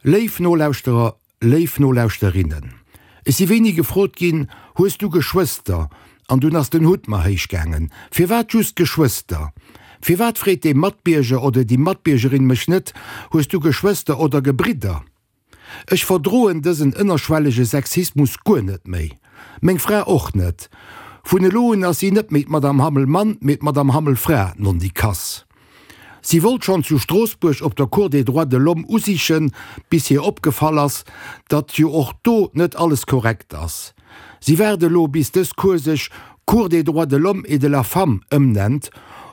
Léif Nolauschterer, léif Nolauschterinnen, ech si wéini gefrot ginn, Hues du Geschwëster? An dunn ass den Hutt mer héich gaangen. Firwat just Geschwëster? Firwat freet dee Matbierger oder déi Matbiergerin mech net, Hues du Geschwëster oder Gebridder? Ech verdroen dësen ënnerschwellege Sexismus guer net méi. Meng Fra och net. Vun elo un ass si net méi d'Madame Hammel Mann, mee d'Madame Hammel Fra, nondikass. Si wollt schonn zu Stroossbuerg op der Cour des droits de l'homme usichen, bis hir opgefall ass, datt jo och do net alles korrekt ass. Si waart elo, bis dës Cour sech Cour des droits de l'homme et de la femme ëmnennt,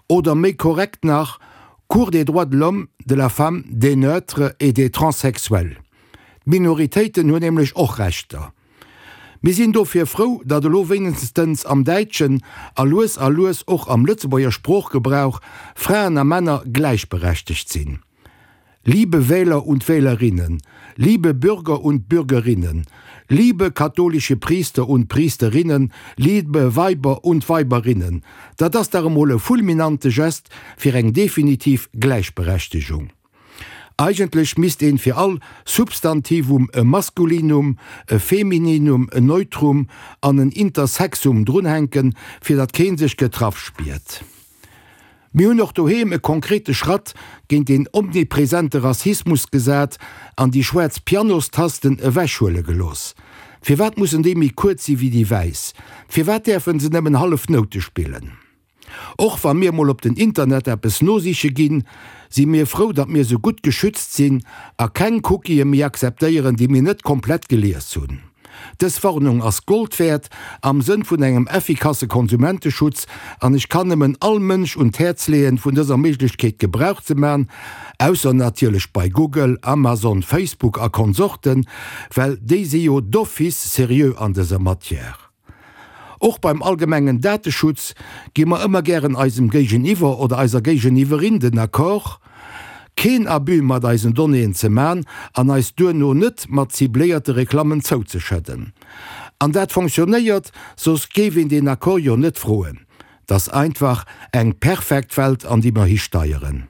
oder méi korrekt nach, Cour des droits de l'homme, de la femme, des neutres et des transsexuels. D'Minoritéiten hunn nämlech och Rechter. Mir sinn dofir frou, datt elo wéinstens am däitschen a lues a lues och am Lëtzebuerger Sproochgebrauch Fraen a Männer gläichberechtegt sinn. Liebe Wähler und Wählerinnen, liebe Bürger und Bürgerinnen, liebe katholische Priester und Priesterinnen, liebe Weiber und Weiberinnen, dat ass dach emol e fulminante Gest fir eng definitiv Gläichberechtegung. Eigentlech misst een fir all Substantivum e Maskulinum, e Femininum, en Neutrum an en Intersexum drunhänken, fir datt keen sech getraff spiert. Mir hunn och doheem e konkrete Schratt géint deen omnipresente Rassismus gesat an déi schwaarz Pianostasten ewechhuele gelooss. Firwat mussen déi méi kuerz si wéi déi wäiss? Firwat däerfen se nëmmen hallef Noute spillen? Och wa mir mol op den Internet eppes nosiche ginn, si mir frou, datt mir sou gutt geschützt sinn a keng Cookië méi akzeptéieren, déi mir net komplett gelies hunn. Dës Warnung ass Gold wäert am Sënn vun engem effikasse Konsumenteschutz an ech kann nëmmen all Mënsch un d'Häerz leeën, vun dëser Méiglechkeet Gebrauch ze man, ausser natierlech bei Google, Amazon, Facebook a Konsorten, well déi si jo d'office seriö an dëser Matière. Och beim allgemengen Dateschutz gi mer ëmmer gären eisem Géigeniwwer oder eiser Géigeniwwerin den Accord, keen Abus mat eisen Donnéeën ze man an eis duerno net mat cibléierte Reklammen zouzeschëdden. An dat fonctionnéiert, soss géif een deen Accord jo net froen. 't ass einfach eng perfekt Welt an déi mer histeieren.